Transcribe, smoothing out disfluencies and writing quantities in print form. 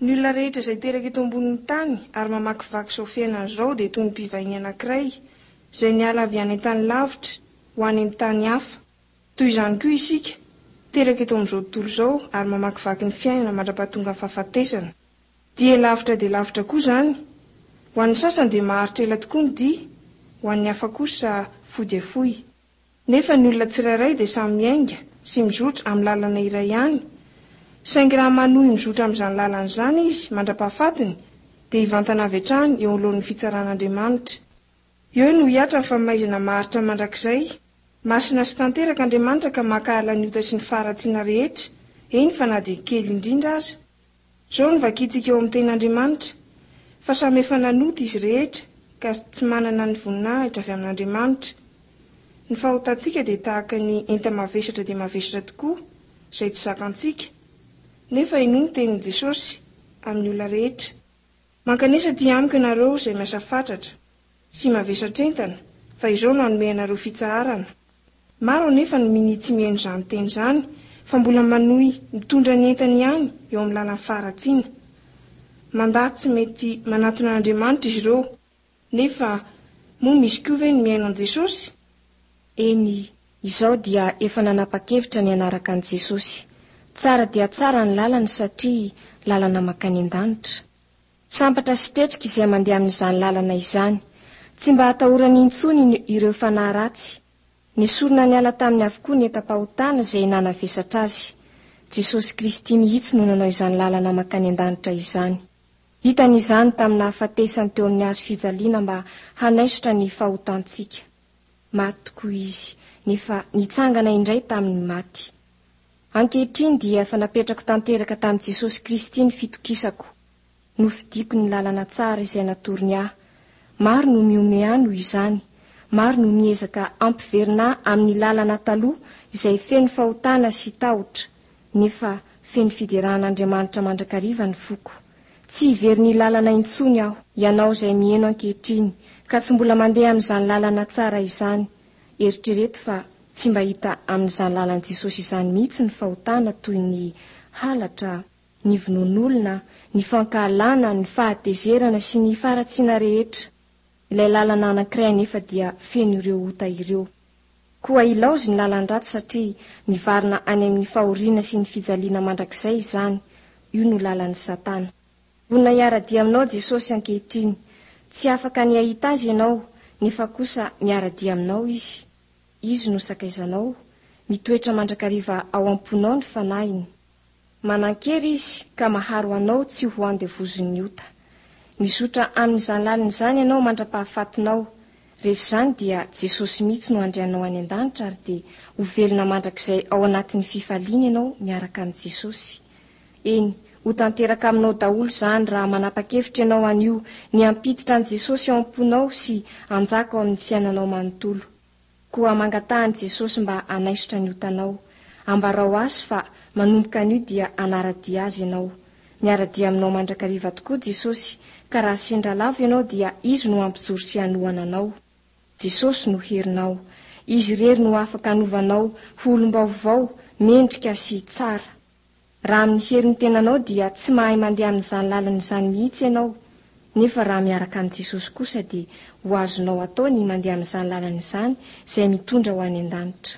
Ny olona rehetra izay teraka eto ambonin'ny tany ary mamakivaky izao fiainana izao dia toy ny mpivahiny anankiray izay niala avy any an-tany lavitra ho any amin'ny tany hafa. Toy izany koa isika, teraka eto amin'izao tontolo izao ary mamakivaky ny fiainana mandra-pahatongan'ny fahafatesana. Dia lavitra dia lavitra koa izany. Ho an'ny sasany dia maharitra ela tokoa ny dia, ho an'ny hafa kosa fohy dia fohy. Nefa ny olona tsirairay dia samy miainga sy mizotra amin'ny lalana iray ihany, saingy raha manohy mizotra amin'izany lalana izany izy mandra-pahafatiny dia hivantana avy hatrany eo anoloan'ny fitsaran'Andriamanitra. Eo no hihatra ny famaizana maharitra mandrakizay. Masina sy tanteraka Andriamanitra ka mankahala ny ota sy ny faharatsiana rehetra, eny fa na dia kely indrindra aza. Izao no vakintsika ao amin'ny Tenin'Andriamanitra, Fa samy efa nanota izy rehetra ka tsy manana ny voninahitra avy amin'Andriamanitra. Ny fahotantsika dia tahaka ny enta-mavesatra dia mavesatra tokoa, izay tsy zakantsika. Nefa henoy ny tenin'i Jesosy amin'ny olona rehetra. Mankanesa aty amiko ianareo izay miasa fatratra sy mavesatr'entana, fa izao no hanome anareo fitsaharana. Maro anefa no minia tsy mihaino izany teny izany fa mbola manohy mitondra ny entany ihany eo amin'ny lalan'ny faharatsiana. Mandà tsy mety manatona an'Andriamanitra izy ireo. Nefa moa misy koa ve ny mihaino an'i Jesosy? Eny, izaho dia efa nanapa-kevitra ny hanaraka an'i Jesosy. Tsara dia tsara ny lalany satria lalana mankany an-danitra. Sambatra sy tretrika izay mandeha amin'izany lalana izany. Tsy mba atahorany intsony ireo fanahy ratsy. Nesorina niala taminy avokoa ny entam-pahotana izay nanavesatra azy. Jesosy Kristy mihitsy no nanao izany lalana mankany an-danitra izany. Vitany izany tamin'ny nahafatesany teo amin'ny hazo fijaliana mba hanaisotra ny fahotantsika. Maty tokoa Izy, nefa nitsangana indray tamin'ny maty. Ankehitriny dia efa napetrako tanteraka tamin'i Jesosy Kristy ny fitokisako. Nofidiko ny lalana tsara izay natorony ahy. Maro no mihomehy ahy noho izany. Maro no miezaka hampiverina ahy amin'ny lalana taloha izay feno fahotana sy tahotra. Nefa feno fiderana an'Andriamanitra mandrakariva ny foko. Tsy hiverina lalana intsony aho. Ianao izay miheno ankehitriny ka tsy mbola mandeha amin'izany lalana tsara izany, eritrereto fa tsy mba hita amin'izany lalan'i Jesosy izany mihitsy ny fahotana toy ny halatra, ny vonoan'olona, ny fankahalana, ny fahatezerana sy ny faharatsiana rehetra. Ilay lalana anankiray anefa dia feno ireo ota ireo. Koa ilaozy ny lalan-dratsy satria mivarina any amin'ny fahoriana sy ny fijaliana mandrakizay izany, io no lalan'i Satana. Vonona hiara-dia aminao Jesosy ankehitriny. Tsy afaka ny hahita Azy ianao, nefa kosa miara-dia aminao Izy. Izy no sakaizanao. Mitoetra mandrakariva ao am-ponao ny Fanahiny. Manan-kery Izy ka maharo anao tsy ho andevozin'ny ota. Mizotra amin'izany lalina izany ianao mandra-pahafatinao. Rehefa izany dia Jesosy mihitsy no handray anao any an-danitra ary dia ho velona mandrakizay ao anatin'ny fifaliana ianao miaraka amin'i Jesosy. Eny, ho tanteraka aminao daholo izany raha manapa-kevitra ianao anio ny hampiditra an'i Jesosy ao am-ponao sy hanjaka ao amin'ny fiainanao manontolo. Koa mangataha an'i Jesosy mba hanaisotra ny otanao. Ambarao Azy fa manomboka anio dia hanara-dia Azy ianao. Miara-dia aminao mandrakariva tokoa Jesosy, ka raha sendra lavo ianao dia Izy no hampijoro sy hanohana anao. Jesosy no herinao. Izy irery no afaka hanova anao ho olom-baovao, mendrika sy tsara. Raha amin'ny herin'ny tenanao dia tsy mahay mandeha amin'izany lalana izany mihitsy ianao, nefa raha miaraka amin'i Jesosy kosa dia ho azonao atao ny mandeha amin'izany lalana izany izay mitondra ho any an-danitra.